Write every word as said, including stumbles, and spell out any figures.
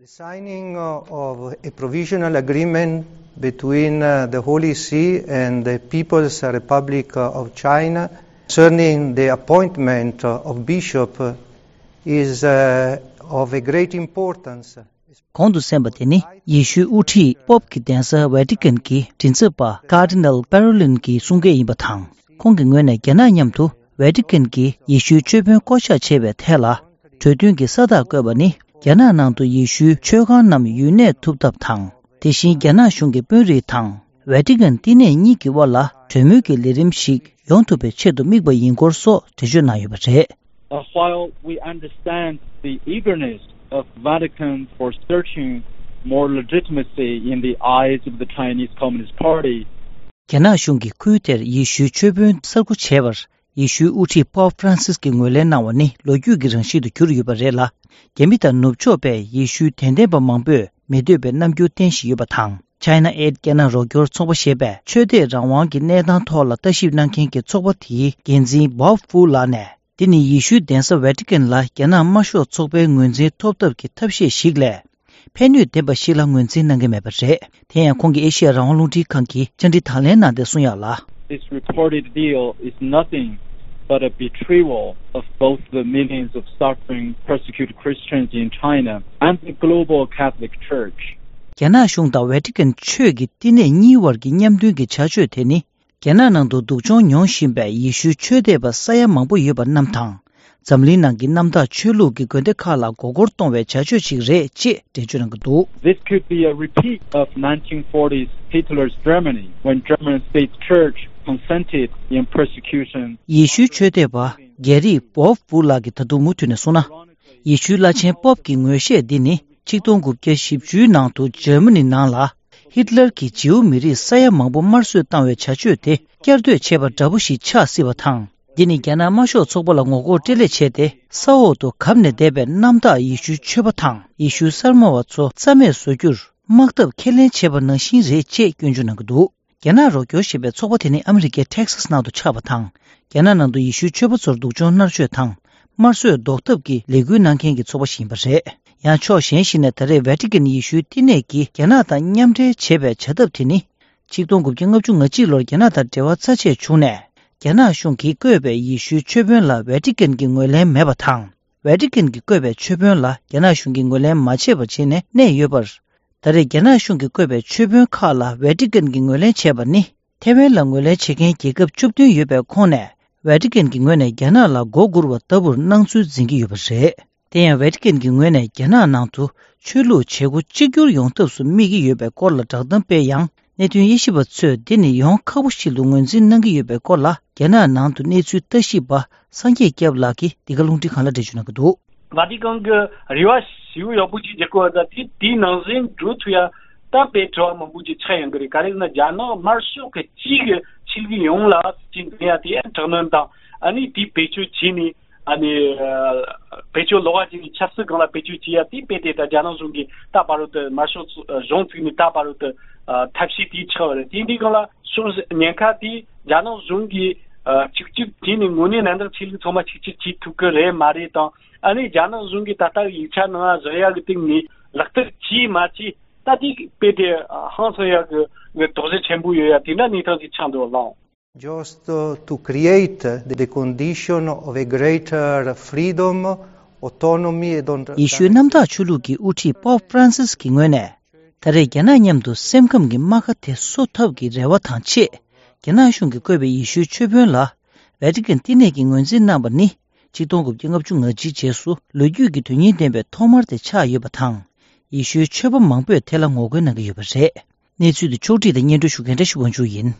The signing, uh, of a provisional agreement between, uh, the Holy See and the People's Republic, uh, of China concerning the appointment, uh, of bishop, uh, is, uh, of a great importance. གོང་དུ་གསན་པ་དེ་ནི་ཡེ་ཤུའི་དབུ་ཁྲིད་པོབ་ཀྱི་གདན་ས་ཝེ་ཏི་ཀན་གྱི་མགྲིན་ཚབ་པ་ཀར་ཌི་ནལ་པེ་རོ་ལིན་གྱི་གསུང་སྐད་ཡིན་པ་དང་། ཁོང་གི་ངོས་ནས་རྒྱ་ནག་མཉམ་དུ་ཝེ་ཏི་ཀན་གྱི་ཡེ་ཤུའི་ཆོས་དཔོན་བསྐོ་གཞག་བྱས་པའི་ཐད་ལ། གྲོས་མཐུན་གྱི་ས་རྟགས་བཀོད་པ་ནི་རྒྱ་ནག་ནང་དུ་ཡེ་ཤུའི་ཆོས་ཁང་རྣམས་ཡུན་གནས་ཐུབ་ཐབས་དང་། དེ་བཞིན་རྒྱ་ནག་གཞུང་གི་དཔོན་རིགས་དང་ཝེ་ཏི་ཀན་བསྟི་གནས་གཉིས་ཀྱི་དབར་ལ་གྲོས་མོལ་གྱི་ལས་རིམ་ཞིག་ཡོང་ཐུབ་པའི་ཆེད་དུ་དམིགས་པ་ཡིན་སྐོར་སོགས་འགྲེལ་བརྗོད་གནང་ཡོད་པ་རེད། Uh, while we understand the eagerness of Vatican for searching more legitimacy in the eyes of the Chinese Communist Party, རྒྱ་ནག་གཞུང་གིས་ཁུལ་དེར་ཡེ་ཤུའི་ཆོས་དཔོན་གསར་བསྐོ་བྱས་པར། ཡེ་ཤུའི་དབུ་ཁྲིད་པོབ་ཧྥ་རན་སིས་ཀྱིས་ངོས་ལེན་གནང་བ་ནི་ལོ་རྒྱུས་ཀྱི་རང་བཞིན་དུ་གྱུར་ཡོད་པ་རེད་ལ། རྒྱ་མི་དང་ནུབ་ཕྱོགས་པས་ཡེ་ཤུའི་དད་ལྡན་པ་མང་པོས་མི་འདོད་པའི་རྣམ་འགྱུར་བསྟན་བཞིན་ཡོད་པ་དང་། China Aid རྒྱ་ནག་རོགས་སྐྱོར་ཚོགས་པ་ཞེས་པས་ཆོས་དད་རང་དབང་གི་གནས་སྟངས་ཐོག་ལ་ལྟ་ཞིབ་གནང་མཁན་གྱི་ཚོགས་པ་དེའི་འགན་འཛིན་བོབ་ཧྥུ་ལགས་ནས། འདི་ནི་ཡེ་ཤུའི་གདན་ས་ཝེ་ཏི་ཀན་ལ་རྒྱ་ནག་དམར་ཤོག་ཚོགས་པའི་ངོས་འཛིན་ཐོབ་ཐབས་ཀྱི་ཐབས་ཤེས་ཤིག་ལས། ཕན་ནུས་ལྡན་པ་ཞིག་ལ་ངོས་འཛིན་གནང་གི་མེད་པ་རེད། དེ་ཡང་ཁོང་གིས་ཨེ་ཤི་ཡ་རང་དབང་རླུང་འཕྲིན་ཁང་གི་བཅར་འདྲི་དང་ལེན་གནང་སྟེ་གསུངས་ཡག་ལ། This reported deal is nothing but a betrayal of both the millions of suffering persecuted Christians in China and the global Catholic Church. རྒྱ་ནག་གཞུང་དང་ཝེ་ཏི་ཀན་ཆོས་ཀྱི་བསྟི་གནས་གཉིས་བར་གྱི་མཉམ་མཐུན་གྱི་བྱ་སྤྱོད་དེ་ནི། རྒྱ་ནག་ནང་དུ་སྡུག་སྦྱོང་མྱོང་བཞིན་པའི་ཡེ་ཤུའི་ཆོས་དད་པ་ས་ཡ་མང་པོ་ཡོད་པ་རྣམས་དང་། འཛམ་གླིང་ནང་གི་གནམ་བདག་ཆོས་ལུགས་ཀྱི་དགོན་སྡེ་ཁག་ལ་མགོ་སྐོར་གཏོང་བའི་བྱ་སྤྱོད་ཅིག་རེད་ཅེས་འགྲེལ་བརྗོད་གནང་གི་འདུག། This could be a repeat of nineteen forties Hitler's Germany, when German state church consented in persecution. ཡེ་ཤུའི་ཆོས་དད་པ་རྒྱ་རིགས་བོབ་ཧྥུ་ལགས་ཀྱིས་ད་དུང་མུ་མཐུད་ནས་གསུངས་ན། ཡེ་ཤུའི་བླ་ཆེན་པོབ་ཀྱི་ངོས་བཞེས་འདི་ནི་ཆིག་སྟོང་དགུ་བརྒྱ་བཞི་བཅུའི་ནང་དུ་འཇར་མ་ནི་ནང་ལ། ཧིཏ་ལར་གྱིས་ཇིའུ་མི་རིགས་ས་ཡ་མང་པོ་དམར་གསོད་བཏང་བའི་བྱ་སྤྱོད་དེ་བསྐྱར་ཟློས་བྱས་པ་འདྲ་པོ་ཞིག་ཆགས་སྲིད་པ་དང་། འདི་ནི་རྒྱ་ནག་དམར་ཤོག་ཚོགས་པ་ལ་ངོ་རྒོལ་སྤྲེལ་ལད་བྱས་ཏེ། ས་འོག་ཏུ་གབ་ནས་བསྡད་པའི་གནམ་བདག་ཡེ་ཤུའི་ཆོས་པ་དང་ཡེ་ཤུའི་གསར་མ་བ་ཚོ་རྩ་མེད་བཟོ་རྒྱུར་དམག་འཐབ་ཁས་ལེན་བྱས་པ་ནང་བཞིན་རེད་ཅེས་སྐྱོན་བརྗོད་གནང་གི་འདུག། རྒྱ་ནག་རོགས་སྐྱོར་ཞེས་པའི་ཚོགས་པ་དེ་ནི་ཨ་མི་རི་ཀའི་ཊེག་སཱས་ནང་དུ་ཆགས་པ་དང་། རྒྱ་ནག་ནང་དུ་ཡེ་ཤུའི་ཆོས་པ་ཚོར་སྡུག་སྦྱོང་མནར་གཅོད་དང་། དམར་གསོད་ཟློག་ཐབས་ཀྱི་ལས་འགུལ་གནང་མཁན་གྱི་ཚོགས་པ་ཞིག་ཡིན་པ་རེད། ཡང་ཕྱོགས་གཞན་ཞིག་ནས་ད་རེས་ཝེ་ཏི་ཀན་ཡེ་ཤུའི་བསྟི་གནས་ཀྱིས་རྒྱ་ནག་དང་མཉམ་འབྲེལ་བྱེད་པའི་བྱ་ཐབས་དེ་ནི། ཆིག་སྟོང་དགུ་བརྒྱ་ལྔ་བཅུ་ང་གཅིག་ལོར་རྒྱ་ནག་དང་འབྲེལ་བ་རྩ་ཆད་བྱུང་ནས། རྒྱ་ནག་གཞུང་གིས་བསྐོས་པའི་ཡེ་ཤུའི་ཆོས་དཔོན་ལ་ཝེ་ཏི་ཀན་གྱི་ངོས་ལེན་མེད་པ་དང་། ཝེ་ཏི་ཀན་གྱིས་བསྐོས་པའི་ཆོས་དཔོན་ལ་རྒྱ་ནག་གཞུང་གིས་ངོས་ལེན་མ་བྱས་པ་བྱས་ནས་གནས་ཡོད་པར། ད་རེས་རྒྱ་ནག་གཞུང་གིས་བསྐོས་པའི་ཆོས་དཔོན་ཁག་ལ་ཝེ་ཏི་ཀན་གྱིས་ངོས་ལེན་བྱས་པ་ནི། ཐེ་ཝན་ལ་ངོས་ལེན་བྱེད་མཁན་རྒྱལ་ཁབ་བཅུ་བདུན་ཡོད་པའི་ཁོངས་ནས། ཝེ་ཏི་ཀན་གྱི་ངོས་ནས་རྒྱ་ནག་ལ་མགོ་སྒུར་བ་ལྟ་བུར་སྣང་ཚུལ་འཛིན་གྱི་ཡོད་པ་རེད། དེ་ཡང་ཝེ་ཏི་ཀན་གྱི་ངོས་ནས་རྒྱ་ནག་ནང་དུ་ཆོས་ལུགས་བྱེད་སྒོ་གཅིག་གྱུར་ཡོང་ཐབས་སུ་དམིགས་ཀྱི་ཡོད་པའི་སྐོར་ལ་བསྒྲགས་གཏམ་སྤེལ་ཡང་། གནད་དོན་དབྱེ་ཞིབ་པ་ཚོས་འདི་ནི་ཡོང་ཁག་པོ་ཞིག་ཏུ་ངོས་འཛིན་གནང་གི་ཡོད་པའི་སྐོར་ལ། རྒྱ་ནག་ནང་དུ་གནས་ཚུལ་ལྟ་ཞིབ་པ་སངས་རྒྱས་སྐྱབས་ལགས་ཀྱིས་འདི་ག་རླུང་འཕྲིན་ཁང་ལ་འགྲེལ་བརྗོད་གནང་གི་འདུག། ཝ་ཏི་ཀན་གྱི་རེ་བ་ཞེ་པོ་ཡག་པོ་ཅིག་རྒྱག་གི་ཡོད་ད། དེ་དེའི་ནང་ཟིན་འགྲོ་ཐུབ་ཡ་ད་དཔེ་དྲི་བ་མང་པོ་ཅིག་ཆགས་ཡོང་གི་རེད། ག་རེ་ཟེར་ན་རྒྱ་ནག་དམར་ཤོག་གི་སྤྱི་གི་ཆོས་ལུགས་ཡོངས་ལ་ཅིག་འཛིན་ཡ་དེ་ཡང་དྲག་གནོན་དང་། ཨ་ནི་དེ་བེད་སྤྱོད་བྱས་ནས། ཨ་ནི་བེད་སྤྱོད་ལོག་པ་བྱས་ནས་ཆབ་སྲིད་སྒང་ལ་བེད་སྤྱོད་བྱས་ཡ་དེ་དཔེ་དེ་ད་རྒྱ་ནག་གཞུང་གིས་ད་བར་དུ་དམར་ཤོག་གཞུང་བཙུགས་ནས་ད་བར་དུ་ཐབས་ཤེས་དེ་ཆགས་པ་རེད། དེ་འདྲའི་སྒང་ལ་ཕྱོགས་ཉེན་ཁ་དེ་རྒྱ་ནག་གཞུང་གིས་གཅིག་གྱུར་བྱས་ནས་དངོས་གནས་གནད་འགག་ཆོས་ལུགས་ཚང་མ་གཅིག་གྱུར་བྱེད་ཐུབ་ཀྱི་རེད་མ་རེད་དང་། ཨ་ནི་རྒྱ་ནག་གཞུང་གིས་ད་ལྟ་ཡིག་ཆ་ནང་བཞག་ཡག་གི་སྟེང་ནས་ལག་བསྟར་བྱས་མ་བྱས་ད་དེ་དཔེ་དེ་ཧང་སང་ཡག་གི་དོགས་གཞི་ཆེན་པོ་ཡོད་ཡ་དེ་འདྲ་གནས་སྟངས་ཅིག་ཆགས་འདུག་ལགས། Just, uh, to create the condition of a greater freedom, autonomy and on- ཡེ་ཤུའི་གནམ་བདག་ཆོས་ལུགས་ཀྱི་དབུ་ཁྲིད་པོབ་ཧྥ་རན་སིས་ཀྱི་ངོས་ནས། ད་རེས་རྒྱ་ནག་མཉམ་དུ་སེམས་ཁམས་ཀྱི་རྨ་ཁ་དེ་གསོ་ཐབས་ཀྱི་རེ་བ་དང་ཆེད། རྒྱ་ནག་གཞུང་གིས་བསྐོས་པའི་ཡེ་ཤུའི་ཆོས་དཔོན་ལ། ཝེ་ཏི་ཀན་བསྟི་གནས་ཀྱིས་ངོས་འཛིན་གནང་བ་ནི། ཆིག་སྟོང་དགུ་བརྒྱ་ལྔ་བཅུ་ང་གཅིག་རྗེས་སུ་ལོ་རྒྱུས་ཀྱི་དོན་སྙིང་ལྡན་པའི་ཐོག་མར་དེ་ཆགས་ཡོད་པ་དང་། ཡེ་ཤུའི་ཆོས་པ་མང་པོས་དེ་ལ་ངོ་རྒོལ་གནང་གི་ཡོད་པ་རེད། གནས་ཚུལ་དེ་ཕྱོགས་སྒྲིག་དང་སྙན་སྒྲོན་ཞུ་མཁན་བཀྲ་ཤིས་དབང་ཕྱུག་ཡིན།